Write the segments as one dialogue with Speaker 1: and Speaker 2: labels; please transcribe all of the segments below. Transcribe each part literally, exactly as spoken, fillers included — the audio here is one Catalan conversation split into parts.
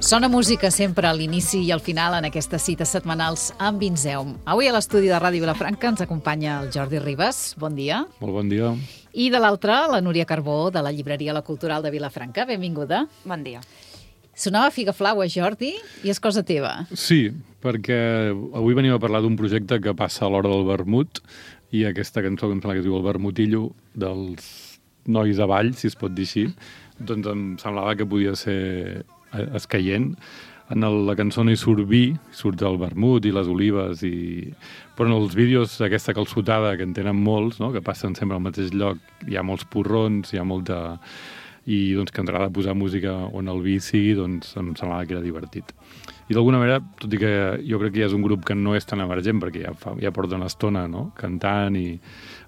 Speaker 1: Sona música sempre a l'inici i al final en aquestes cites setmanals amb Vinzeum. Avui a l'estudi de Ràdio Vilafranca ens acompanya el Jordi Ribas. Bon dia.
Speaker 2: Molt bon dia.
Speaker 1: I de l'altra, la Núria Carbó, de la llibreria La Cultural de Vilafranca. Benvinguda.
Speaker 3: Bon dia.
Speaker 1: Sonava Figaflaua, Jordi, i és cosa teva.
Speaker 2: Sí, perquè avui venim a parlar d'un projecte que passa a l'hora del vermut i aquesta cançó que em sembla que es diu El Vermutillo, dels Nois de Vall, si es pot dir així, doncs em semblava que podia ser escaient. En el, la cançó no hi surt vi, surt el vermut i les olives, i... però en els vídeos d'aquesta calçotada que en tenen molts, no? Que passen sempre al mateix lloc, hi ha molts porrons, hi ha molta... i doncs, que ens agrada posar música on el vi sigui, doncs em semblava que era divertit. I d'alguna manera, tot i que jo crec que ja és un grup que no és tan emergent, perquè ja, fa, ja porta una estona, no? Cantant i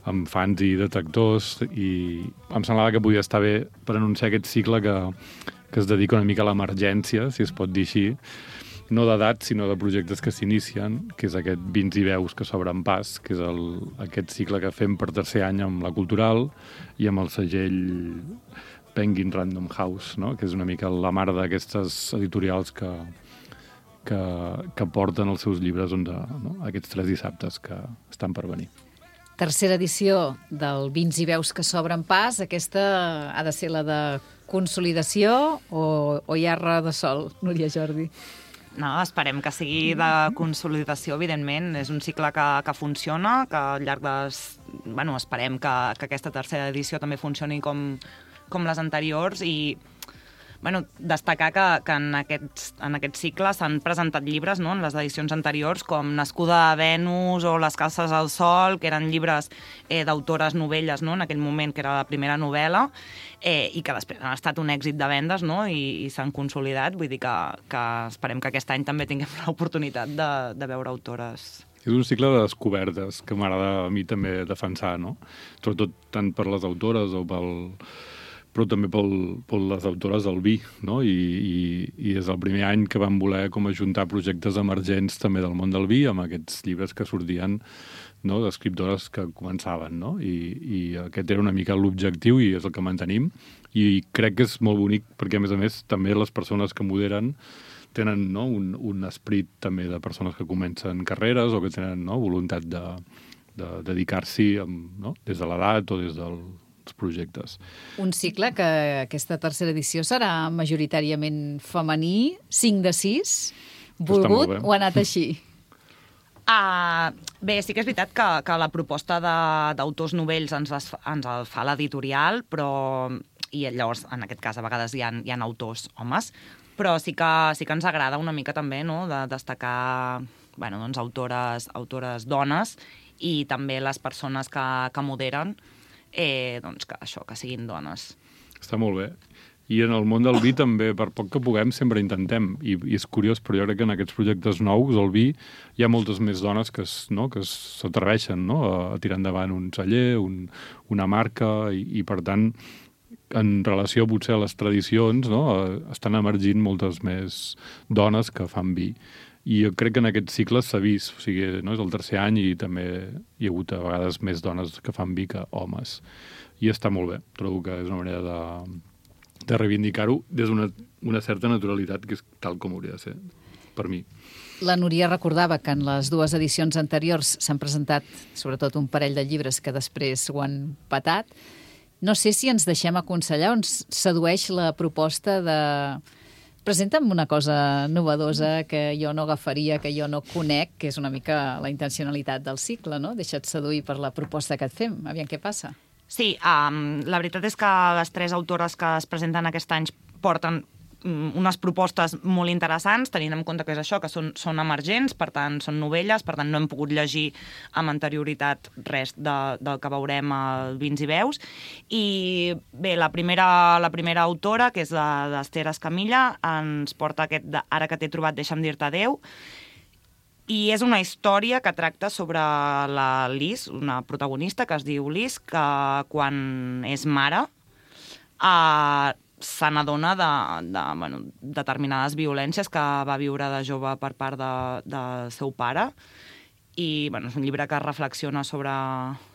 Speaker 2: amb fans i detractors, i em semblava que podia estar bé per anunciar aquest cicle que, que es dedica una mica a l'emergència, si es pot dir així, no d'edat, sinó de projectes que s'inicien, que és aquest Vins i Veus que s'obren pas, que és el, aquest cicle que fem per tercer any amb la Cultural i amb el segell Penguin Random House, no? Que és una mica la mare d'aquestes editorials que, que, que porten els seus llibres on de, no? Aquests tres dissabtes que estan per venir.
Speaker 1: Tercera edició del Vins i Veus que s'obren pas. Aquesta ha de ser la de consolidació o, o hi ha ra de sol, Núria, Jordi?
Speaker 3: No, esperem que sigui de consolidació, evidentment. És un cicle que, que funciona, que al llarg de... Bueno, esperem que, que aquesta tercera edició també funcioni com, com les anteriors i bueno, destacar que, que en, aquests, en aquest cicle s'han presentat llibres, no?, en les edicions anteriors, com Nascuda a Venus o Les calces al sol, que eren llibres eh, d'autores novelles, no?, en aquell moment, que era la primera novel·la, eh, i que després han estat un èxit de vendes, no?, i, i s'han consolidat. Vull dir que, que esperem que aquest any també tinguem l'oportunitat de, de veure autores.
Speaker 2: És un cicle de descobertes que m'agrada a mi també defensar, no? Sobretot tant per les autores o pel... però també pel, per les autores del vi, no? I, i, i és el primer any que vam voler com ajuntar projectes emergents també del món del vi amb aquests llibres que sortien, no?, d'escriptores que començaven, no? I, i aquest era una mica l'objectiu i és el que mantenim. I crec que és molt bonic perquè, a més a més, també les persones que moderen tenen, no?, un, un esperit també de persones que comencen carreres o que tenen, no?, voluntat de, de dedicar-s'hi, no?, des de l'edat o des del projectes.
Speaker 1: Un cicle que aquesta tercera edició serà majoritàriament femení, cinc de sis, volgut o ha anat així?
Speaker 3: Uh, bé, sí que és veritat que, que la proposta d'autors novells ens, les, ens el fa l'editorial, però i llavors, en aquest cas, a vegades hi ha, hi ha autors homes, però sí que, sí que ens agrada una mica també, no?, de destacar, bueno, doncs, autores, autores dones i també les persones que, que moderen, Eh, doncs que això, que siguin dones.
Speaker 2: Està molt bé. I en el món del vi també, per poc que puguem, sempre intentem. I, i és curiós, però jo crec que en aquests projectes nous, el vi, hi ha moltes més dones que, es, no, que s'atreveixen, no?, a, a tirar endavant un celler, un, una marca, i, i per tant, en relació potser a les tradicions, no?, estan emergint moltes més dones que fan vi. I jo crec que en aquest cicle s'ha vist, o sigui, no, és el tercer any i també hi ha hagut a vegades més dones que fan vi que homes. I està molt bé, trobo que és una manera de, de reivindicar-ho des d'una una certa naturalitat, que és tal com hauria de ser, per mi.
Speaker 1: La Núria recordava que en les dues edicions anteriors s'han presentat sobretot un parell de llibres que després ho han patat. No sé si ens deixem aconsellar o ens sedueix la proposta de... Presenta'm una cosa novedosa que jo no agafaria, que jo no conec, que és una mica la intencionalitat del cicle, no? Deixa't seduir per la proposta que et fem. Aviam què passa.
Speaker 3: Sí, um, la veritat és que les tres autores que es presenten aquest any porten unes propostes molt interessants, tenint en compte que és això, que són, són emergents, per tant, són novelles, per tant, no hem pogut llegir amb anterioritat res de, del que veurem al Vins i Veus. I bé, la primera, la primera autora, que és l'Esther Escamilla, ens porta aquest de Ara que t'he trobat, deixa'm dir-te adeu, i és una història que tracta sobre la Liz, una protagonista que es diu Liz, que quan és mare, eh, se n'adona de, de bueno, determinades violències que va viure de jove per part de, del seu pare. I bueno, és un llibre que reflexiona sobre,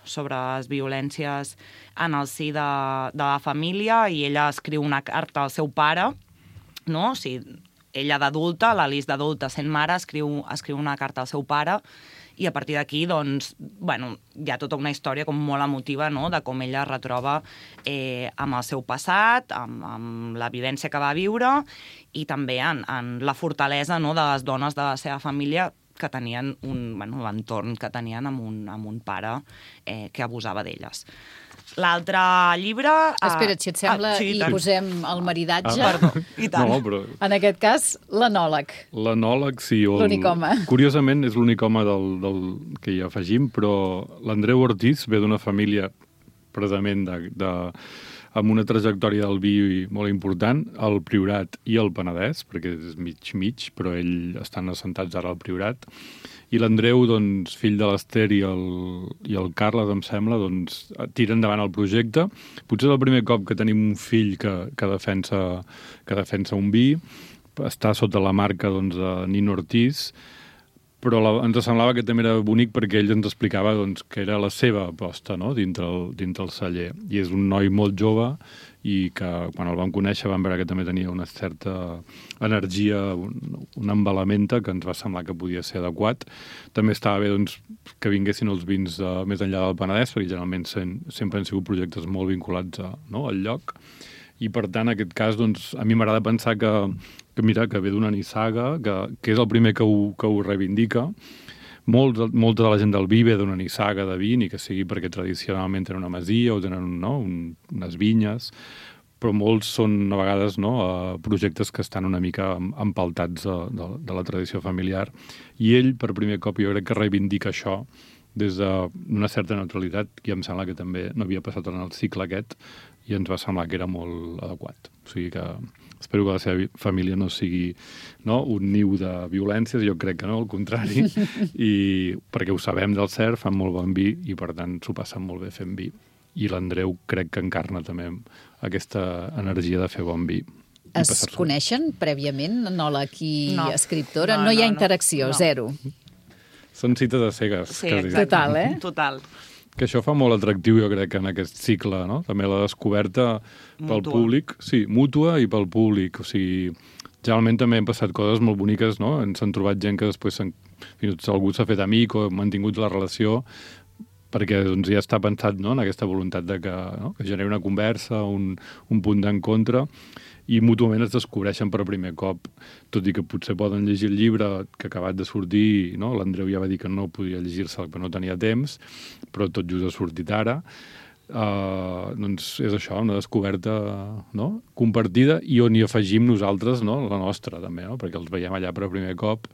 Speaker 3: sobre les violències en el si de, de la família, i ella escriu una carta al seu pare, no? O sigui, ella d'adulta, l'Alice d'adulta sent mare, escriu, escriu una carta al seu pare, i a partir d'aquí, doncs, bueno, hi ha tota una història com molt emotiva, no?, de com ella es retroba eh, amb el seu passat, amb, amb la vivència que va viure, i també en, en la fortalesa, no?, de les dones de la seva família que tenien un, bueno, l'entorn que tenien amb un, amb un pare eh, que abusava d'elles. L'altre llibre...
Speaker 1: Espera't, si et sembla, ah, sí, i tant. Posem el maridatge.
Speaker 3: Ah, perdó, i tant.
Speaker 2: No, però...
Speaker 1: En aquest cas, l'anòleg.
Speaker 2: L'anòleg, sí.
Speaker 1: L'únic home.
Speaker 2: Curiosament, és l'únic home del, del que hi afegim, però l'Andreu Ortiz ve d'una família precisament de, de, amb una trajectòria del vi molt important, al Priorat i al Penedès, perquè és mig-mig, però ell estan assentats ara al Priorat. I l'Andreu, doncs, fill de l'Ester i, el, i el Carles, em sembla, doncs, tira endavant el projecte. Potser és el primer cop que tenim un fill que, que, defensa, que defensa un vi. Està sota la marca, doncs, de Nino Ortiz, però la, ens semblava que també era bonic perquè ell ens explicava, doncs, que era la seva aposta, no?, dintre el, dintre el celler. I és un noi molt jove i que quan el vam conèixer vam veure que també tenia una certa energia, un, una embalamenta que ens va semblar que podia ser adequat. També estava bé, doncs, que vinguessin els vins uh, més enllà del Penedès, perquè generalment sen, sempre han sigut projectes molt vinculats a, no?, al lloc. I, per tant, en aquest cas, doncs, a mi m'agrada pensar que, que, mira, que ve d'una nissaga, que, que és el primer que ho, que ho reivindica. Molt, molta de la gent del vi ve d'una nissaga de vi, ni que sigui perquè tradicionalment tenen una masia o tenen, no?, un, unes vinyes, però molts són, a vegades, no?, uh, projectes que estan una mica empaltats de, de, de la tradició familiar. I ell, per primer cop, jo crec que reivindica això des d'una certa neutralitat, i em sembla que també no havia passat en el cicle aquest, i ens va semblar que era molt adequat. O sigui que espero que la seva família no sigui, no?, un niu de violències, jo crec que no, al contrari, i perquè ho sabem del cert, fan molt bon vi i, per tant, s'ho passen molt bé fent vi. I l'Andreu crec que encarna també aquesta energia de fer bon vi.
Speaker 1: Es coneixen prèviament, enòleg i
Speaker 3: no.
Speaker 1: escriptora?
Speaker 3: No,
Speaker 1: no, no hi ha
Speaker 3: no,
Speaker 1: interacció,
Speaker 3: no.
Speaker 1: zero.
Speaker 2: Són cites a cegues.
Speaker 3: Sí,
Speaker 2: quasi.
Speaker 1: Total, eh?
Speaker 3: Total.
Speaker 2: Que això fa molt atractiu, jo crec, en aquest cicle, no? També la descoberta pel
Speaker 3: Mútua.
Speaker 2: públic, sí, mútua i pel públic. O sigui, generalment també han passat coses molt boniques, no? Ens han trobat gent que després s'han, algú s'ha fet amic o ha mantingut la relació perquè doncs, ja està pensat, no?, en aquesta voluntat de que, no?, que generi una conversa, un, un punt d'encontre, i mútuament es descobreixen per primer cop, tot i que potser poden llegir el llibre que ha acabat de sortir, no? L'Andreu ja va dir que no podia llegir-se'l, que no tenia temps, però tot just ha sortit ara. Uh, doncs és això, una descoberta, no?, compartida, i on hi afegim nosaltres, no?, la nostra també, no?, perquè els veiem allà per primer cop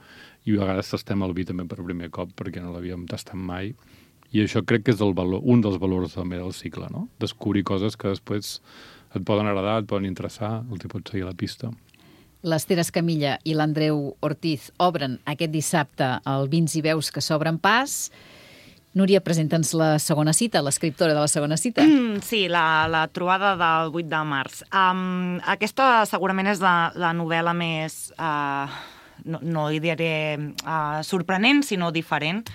Speaker 2: i a vegades tastem el vi també per primer cop perquè no l'havíem tastat mai. I això crec que és el valor, un dels valors també del cicle, no? Descobrir coses que després et poden agradar, et poden interessar, els hi pots seguir a la pista.
Speaker 1: L'Ester Escamilla i l'Andreu Ortiz obren aquest dissabte el Vins i Veus que s'obren pas. Núria, presenta'ns la segona cita, l'escriptora de la segona cita.
Speaker 3: Mm, sí, la, la trobada del vuit de març. Um, aquesta segurament és la, la novel·la més, uh, no, no hi diré uh, sorprenent, sinó diferent,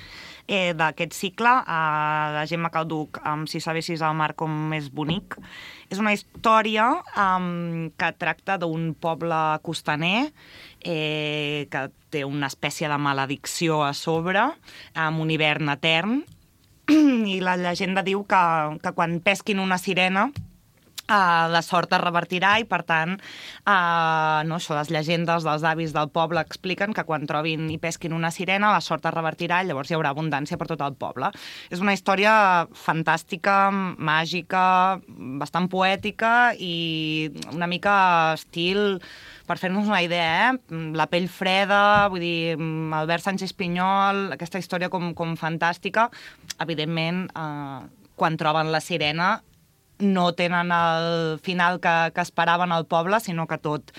Speaker 3: Eh, d'aquest cicle, eh, de Gemma Calduch, amb Si sabessis el mar com és bonic. És una història eh, que tracta d'un poble costaner eh, que té una espècie de maledicció a sobre, amb un hivern etern, i la llegenda diu que, que quan pesquin una sirena Uh, la sort es revertirà i, per tant, uh, no, això, les llegendes dels avis del poble expliquen que quan trobin i pesquin una sirena la sort es revertirà i llavors hi haurà abundància per tot el poble. És una història fantàstica, màgica, bastant poètica i una mica estil, per fer-nos una idea, eh? La pell freda, vull dir, Albert Sánchez Pinyol, aquesta història com, com fantàstica. Evidentment, uh, quan troben la sirena no tenen el final que, que esperaven al poble, sinó que tot,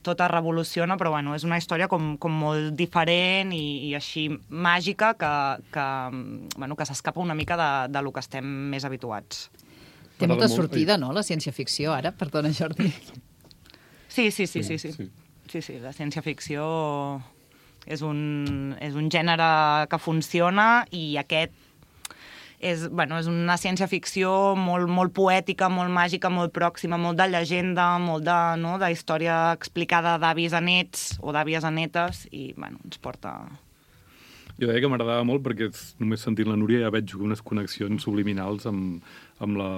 Speaker 3: tot es revoluciona, però bueno, és una història com, com molt diferent i, i així màgica que, que, bueno, que s'escapa una mica de, de lo que estem més habituats.
Speaker 1: Té molta sortida, no?, la ciència-ficció, ara? Perdona, Jordi.
Speaker 3: Sí, sí, sí, sí, sí. sí. sí, sí la ciència-ficció és un, és un gènere que funciona i aquest és, bueno, és una ciència-ficció molt, molt poètica, molt màgica, molt pròxima, molt de llegenda, molt de, no, de història explicada d'avis a nets o d'àvies a netes, i bueno, ens porta...
Speaker 2: Jo deia que m'agradava molt perquè només sentint la Núria ja veig unes connexions subliminals amb, amb la...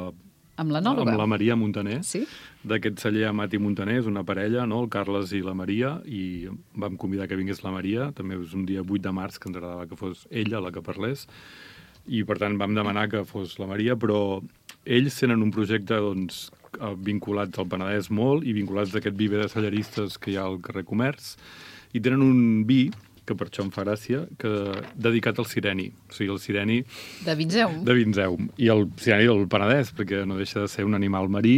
Speaker 1: Amb l'anòloga?
Speaker 2: Amb la Maria Montaner.
Speaker 1: Sí?
Speaker 2: D'aquest celler Amat i Montaner, és una parella, no? El Carles i la Maria, i vam convidar que vingués la Maria, també és un dia vuit de març que ens agradava que fos ella la que parlés, i per tant vam demanar que fos la Maria, però ells tenen un projecte doncs, vinculats al Penedès molt i vinculats d'aquest viver de celleristes que hi ha al carrer Comerç, i tenen un vi que per això em fa gràcia, que dedicat al sireni. O sigui, el sireni...
Speaker 1: De Vinzeum.
Speaker 2: De Vinzeum. I el sireni del Penedès, perquè no deixa de ser un animal marí,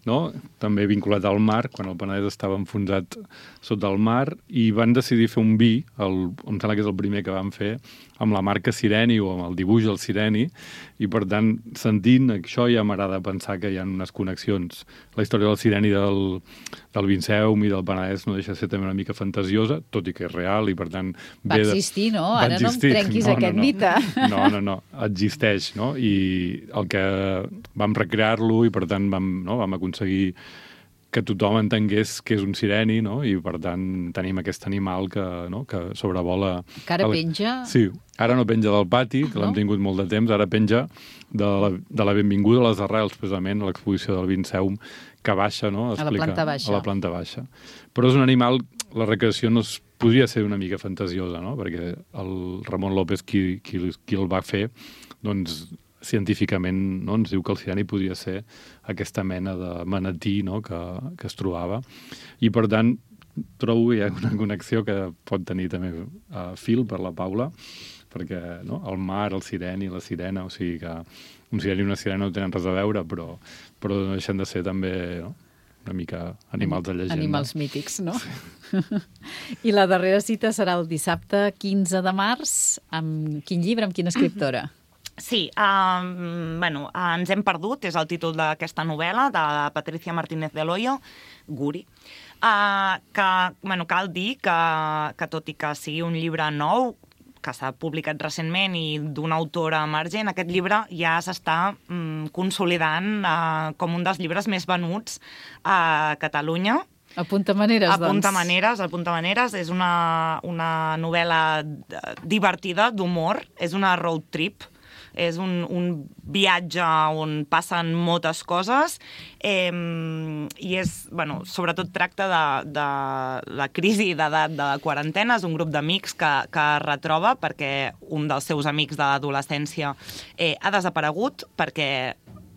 Speaker 2: no? També vinculat al mar, quan el Penedès estava enfonsat sota el mar, i van decidir fer un vi, el, em sembla que és el primer que van fer, amb la marca Sireni o amb el dibuix del Sireni, i per tant, sentint això ja m'agrada pensar que hi ha unes connexions. La història del Sireni del, del Vinceum i del Penedès no deixa de ser també una mica fantasiosa, tot i que és real, i per tant...
Speaker 1: Va existir, no? Ara no em trenquis
Speaker 2: no,
Speaker 1: aquest
Speaker 2: no, no.
Speaker 1: mite.
Speaker 2: No, no, no, existeix, no? I el que vam recrear-lo i per tant vam, no, vam aconseguir que tothom entengués que és un sireni, no? I per tant tenim aquest animal que, no? que sobrevola...
Speaker 1: Que ara penja...
Speaker 2: Sí, ara no penja del pati, que no? L'hem tingut molt de temps, ara penja de la, de la benvinguda a les arrels, precisament, a l'exposició del Vinceum, que baixa, no? Explica,
Speaker 1: a la planta baixa.
Speaker 2: A la planta baixa. Però és un animal, la recreació no es podria ser una mica fantasiosa, no? Perquè el Ramon López, qui, qui, qui el va fer, doncs científicament no, ens diu que el sireni podria ser aquesta mena de manatí, no, que, que es trobava. I, per tant, trobo que hi ha una connexió que pot tenir també uh, fil per la Paula, perquè no, el mar, el sireni, la sirena, o sigui que un sireni i una sirena no tenen res a veure, però, però no deixen de ser també... No? Una mica animals de llegenda.
Speaker 1: Animals mítics, no? Sí. I la darrera cita serà el dissabte quinze de març. Amb quin llibre, amb quina escriptora?
Speaker 3: Sí, um, bueno, Ens hem perdut, és el títol d'aquesta novel·la, de Patricia Martínez del Hoyo, Guri, uh, que, bueno, cal dir que, que tot i que sigui un llibre nou, que s'ha publicat recentment i d'una autora emergent, aquest llibre ja s'està mm, consolidant eh, com un dels llibres més venuts a Catalunya.
Speaker 1: Apunta maneres, doncs.
Speaker 3: Apunta maneres, apunta maneres. És una, una novel·la divertida, d'humor, és una road trip, és un, un viatge on passen moltes coses eh, i és, bueno, sobretot tracta de, de la crisi d'edat de la quarantena. És un grup d'amics que, que es retroba perquè un dels seus amics de l'adolescència eh, ha desaparegut perquè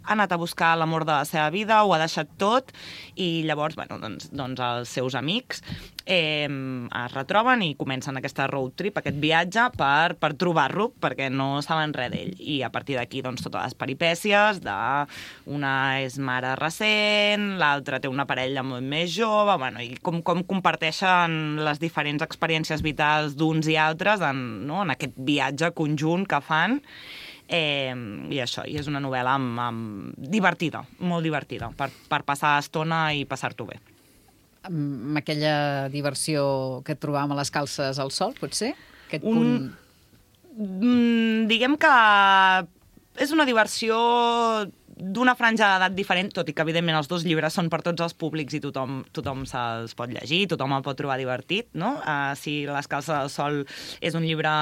Speaker 3: ha anat a buscar l'amor de la seva vida, ho ha deixat tot, i llavors, bueno, doncs, doncs els seus amics eh, es retroben i comencen aquesta road trip, aquest viatge per, per trobar-lo, perquè no saben res d'ell. I a partir d'aquí, doncs, totes les peripècies de una és mare recent, l'altra té una parella molt més jove, bueno, i com, com comparteixen les diferents experiències vitals d'uns i altres en, no, en aquest viatge conjunt que fan. Eh, i això, i és una novel·la amb, amb... divertida, molt divertida, per, per passar estona i passar-t'ho bé.
Speaker 1: Amb aquella diversió que trobàvem a les calces al sol, potser? Aquest punt...
Speaker 3: Un... Mm, diguem que és una diversió d'una franja d'edat diferent, tot i que, evidentment, els dos llibres són per tots els públics i tothom, tothom se'ls pot llegir, tothom el pot trobar divertit, no? Uh, si Les calces del sol és un llibre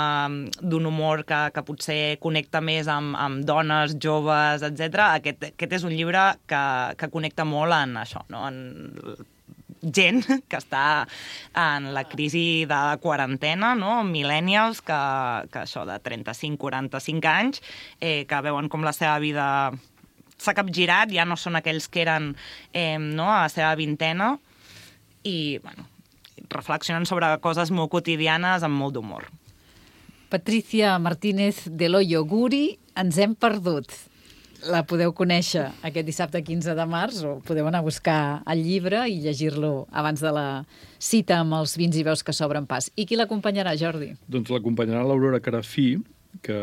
Speaker 3: d'un humor que, que potser connecta més amb, amb dones, joves, etcètera, aquest, aquest és un llibre que, que connecta molt en això, no? En gent que està en la crisi de la quarantena, no? Millennials que, que això de trenta-cinc a quaranta-cinc anys, eh, que veuen com la seva vida s'ha capgirat, ja no són aquells que eren eh, no, a la seva vintena, i bueno, reflexionen sobre coses molt quotidianes amb molt d'humor.
Speaker 1: Patricia Martínez del Hoyo, Guri, Ens hem perdut. La podeu conèixer aquest dissabte quinze de març, o podeu anar a buscar el llibre i llegir-lo abans de la cita amb els vins i veus que s'obren pas. I qui l'acompanyarà, Jordi?
Speaker 2: Doncs l'acompanyarà l'Aurora Carafí, que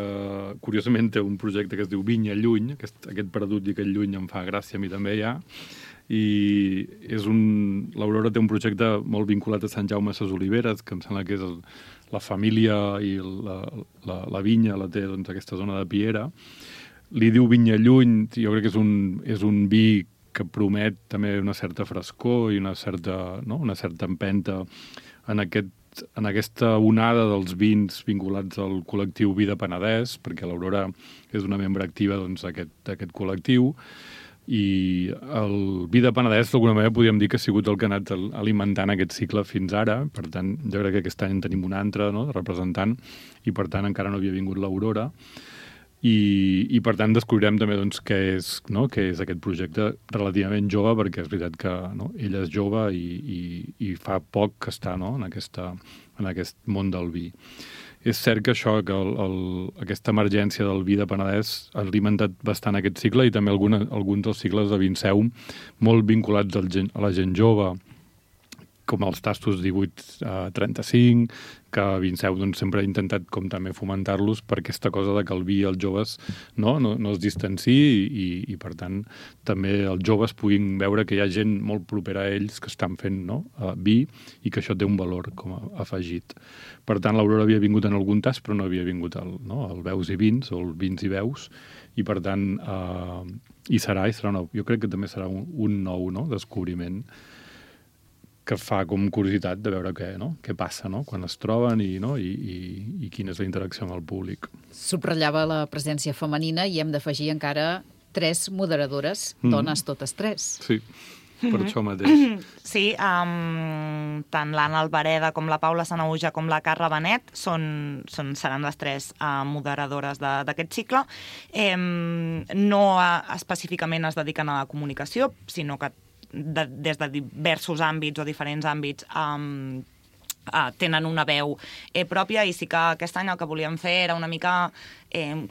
Speaker 2: curiosament té un projecte que es diu Vinya Lluny, aquest, aquest perdut i aquest lluny em fa gràcia a mi també ja, i és un... l'Aurora té un projecte molt vinculat a Sant Jaume Ses Oliveres, que em sembla que és el, la família i la, la, la vinya la té doncs, aquesta zona de Piera, li diu Vinya Lluny, jo crec que és un, és un vi que promet també una certa frescor i una certa, no? una certa empenta en, aquest, en aquesta onada dels vins vinculats al col·lectiu Vi de Penedès, perquè l'Aurora és una membre activa doncs, d'aquest col·lectiu, i el Vi de Penedès d'alguna manera podríem dir que ha sigut el que ha anat alimentant aquest cicle fins ara. Per tant, jo crec que aquest any en tenim un altre, no?, representant, i per tant encara no havia vingut l'Aurora. I, i per tant descobrirem també doncs, què, és, no? què és aquest projecte relativament jove, perquè és veritat que no? ella és jove i, i, i fa poc que està, no? en, aquesta, en aquest món del vi. És cert que això, que el, el, aquesta emergència del vi de Penedès ha alimentat bastant aquest cicle i també alguna, alguns dels cicles de Vinseum molt vinculats al gent, a la gent jove, com els tastos divuit a trenta-cinc, que Vinseu doncs, sempre ha intentat com també fomentar-los per aquesta cosa de que el vi i els joves no, no, no es distanciï i, i, i, per tant, també els joves puguin veure que hi ha gent molt propera a ells que estan fent no, vi i que això té un valor com a afegit. Per tant, l'Aurora havia vingut en algun tast, però no havia vingut el, no, el veus i vins, o el vins i veus, i per tant, eh, hi serà, hi serà nou. Jo crec que també serà un, un nou no, descobriment que fa com curiositat de veure què, no? què passa no? quan es troben i, no? I, i, i quina és la interacció amb el públic.
Speaker 1: Subratllava la presència femenina i hem d'afegir encara tres moderadores, mm. dones totes tres.
Speaker 2: Sí, per mm-hmm. això mateix.
Speaker 3: Sí, um, tant l'Anna Albareda com la Paula Sanauja com la Carla Benet són, són, seran les tres uh, moderadores d'aquest cicle. Eh, no uh, específicament es dediquen a la comunicació, sinó que De, des de diversos àmbits o diferents àmbits um, uh, tenen una veu eh, pròpia, i sí que aquest any el que volíem fer era una mica eh,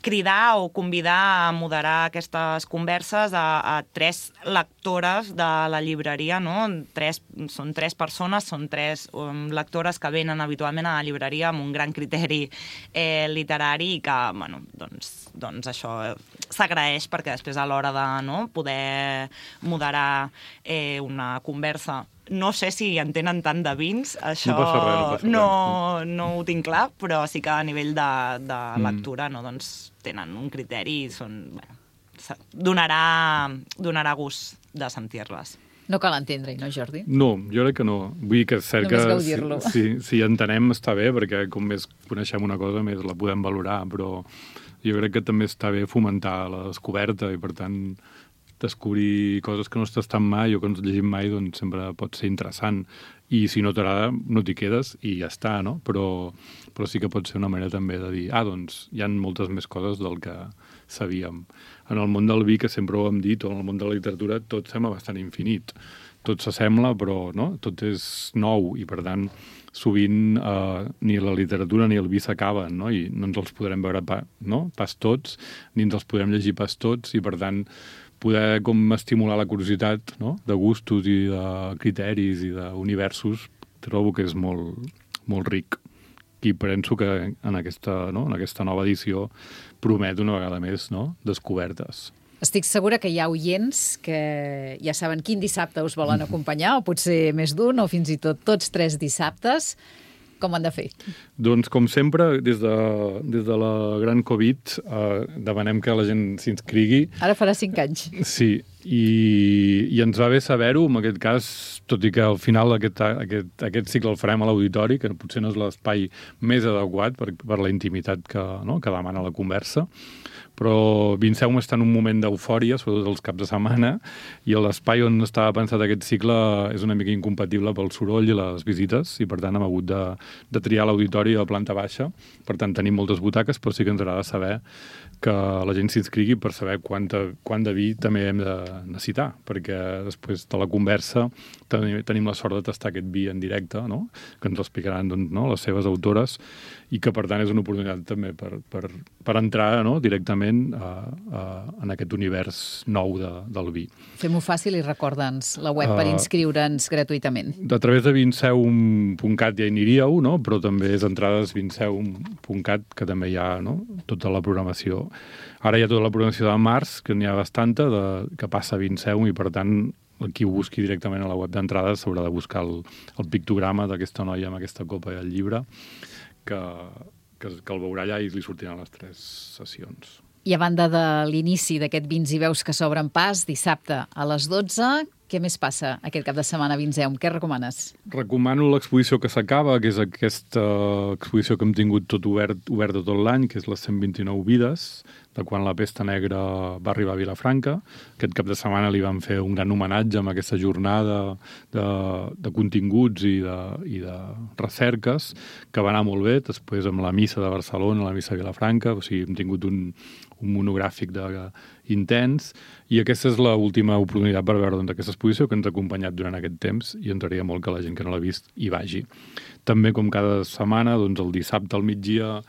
Speaker 3: cridar o convidar a moderar aquestes converses a, a tres lectores de la llibreria, no? Tres, són tres persones, són tres um, lectores que venen habitualment a la llibreria amb un gran criteri eh, literari i que, bueno, doncs, doncs això s'agraeix perquè després a l'hora de no, poder moderar eh, una conversa, no sé si entenen tant de vins, això
Speaker 2: no, passa res, no, passa
Speaker 3: no,
Speaker 2: res.
Speaker 3: no ho tinc clar, però sí que a nivell de, de lectura no, doncs, tenen un criteri i són, bueno, donarà, donarà gust de sentir-les.
Speaker 1: No cal entendre-hi, no, Jordi?
Speaker 2: No, jo crec que no. Vull dir que és cert
Speaker 1: Només
Speaker 2: que
Speaker 1: gaudir-lo.
Speaker 2: si, si, si entenem està bé, perquè com més coneixem una cosa, més la podem valorar, però jo crec que també està bé fomentar la descoberta i, per tant, descobrir coses que no estàs tan mai o que no has llegit mai, doncs sempre pot ser interessant. I si no t'agrada, no t'hi quedes i ja està, no? Però, però sí que pot ser una manera també de dir, ah, doncs hi ha moltes més coses del que sabíem. En el món del vi, que sempre ho hem dit, o en el món de la literatura, tot sembla bastant infinit. Tot s'assembla, però no? Tot és nou i, per tant, sovint eh, ni la literatura ni el vi s'acaben, no? I no ens els podrem veure pa, no? pas tots, ni ens els podrem llegir pas tots, i, per tant, poder com estimular la curiositat no? de gustos i de criteris i d'universos, trobo que és molt, molt ric. I penso que en aquesta, no? en aquesta nova edició promet una vegada més no? descobertes.
Speaker 1: Estic segura que hi ha oients que ja saben quin dissabte us volen acompanyar, o potser més d'un, o fins i tot tots tres dissabtes. Com han de fer?
Speaker 2: Doncs, com sempre, des de, des de la gran Covid, eh, demanem que la gent s'inscrigui.
Speaker 1: Ara farà cinc anys.
Speaker 2: Sí, i, i ens va bé saber-ho, en aquest cas, tot i que al final aquest, aquest, aquest cicle el farem a l'auditori, que potser no és l'espai més adequat per, per la intimitat que, no, que demana la conversa, però Vinseum està en un moment d'eufòria, sobretot els caps de setmana, i l'espai on estava pensat aquest cicle és una mica incompatible pel soroll i les visites, i per tant hem hagut de, de triar l'auditori a la planta baixa. Per tant, tenim moltes butaques, però sí que ens agrada saber que la gent s'inscrigui per saber quanta, quant de vi també hem de necessitar, perquè després de la conversa tenim, tenim la sort de tastar aquest vi en directe, no? Que ens explicaran doncs, no? les seves autores, i que per tant és una oportunitat també per, per, per entrar no? directament a, a, en aquest univers nou de, del vi.
Speaker 1: Fem-ho fàcil i recorda'ns la web uh, per inscriure'ns gratuïtament.
Speaker 2: A través de vinseum punt cat ja hi aniríeu, no? Però també és entrades vinseum punt cat, que també hi ha no? tota la programació. Ara hi ha tota la programació de març, que n'hi ha bastanta, de, que passa a Vinseum, i per tant qui ho busqui directament a la web d'entrades s'haurà de buscar el, el pictograma d'aquesta noia amb aquesta copa i el llibre, que, que, que el veurà allà i li sortiran les tres sessions.
Speaker 1: I a banda de l'inici d'aquest Vins i Veus que s'obren pas, dissabte a les dotze, què més passa aquest cap de setmana a Vinseum? Què recomanes?
Speaker 2: Recomano l'exposició que s'acaba, que és aquesta exposició que hem tingut tot obert, oberta tot l'any, que és les cent vint-i-nou vides, de quan la pesta negra va arribar a Vilafranca. Aquest cap de setmana li vam fer un gran homenatge amb aquesta jornada de, de continguts i de, i de recerques, que va anar molt bé, després amb la missa de Barcelona, la missa de Vilafranca, o sigui, hem tingut un, un monogràfic de, intens, i aquesta és l'última oportunitat per veure doncs, aquesta exposició que ens ha acompanyat durant aquest temps i ens agradaria molt que la gent que no l'ha vist hi vagi. També, com cada setmana, doncs, el dissabte al migdia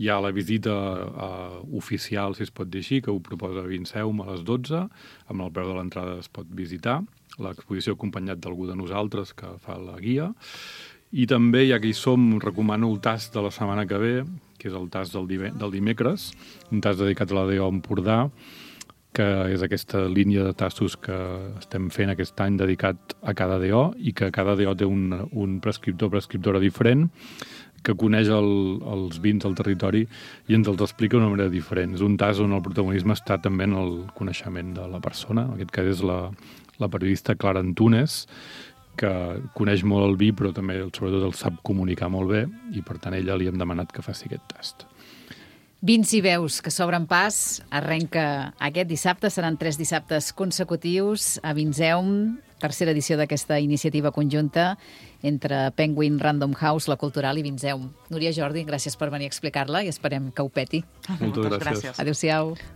Speaker 2: hi ha la visita uh, oficial, si es pot dir així, que ho proposa Vinseum a les dotze, amb el preu de l'entrada es pot visitar, l'exposició acompanyat d'algú de nosaltres que fa la guia, i també, ja que hi som, recomano el tast de la setmana que ve, que és el tast del, del dimecres, un tast dedicat a la D O Empordà, que és aquesta línia de tastos que estem fent aquest any dedicat a cada D O, i que cada D O té un, un prescriptor o prescriptora diferent, que coneix el, els vins del territori i ens els explica d'una manera diferent. És un tast on el protagonisme està també en el coneixement de la persona. En aquest cas és la, la periodista Clara Antunes, que coneix molt el vi, però també, sobretot, el sap comunicar molt bé, i per tant ella li hem demanat que faci aquest tast.
Speaker 1: Vins i Veus que s'obren pas, arrenca aquest dissabte, seran tres dissabtes consecutius a Vinseum, tercera edició d'aquesta iniciativa conjunta entre Penguin Random House, La Cultural i Vinseum. Núria Jordi, gràcies per venir a explicar-la i esperem que ho peti.
Speaker 2: Moltes gràcies.
Speaker 1: Adéu-siau.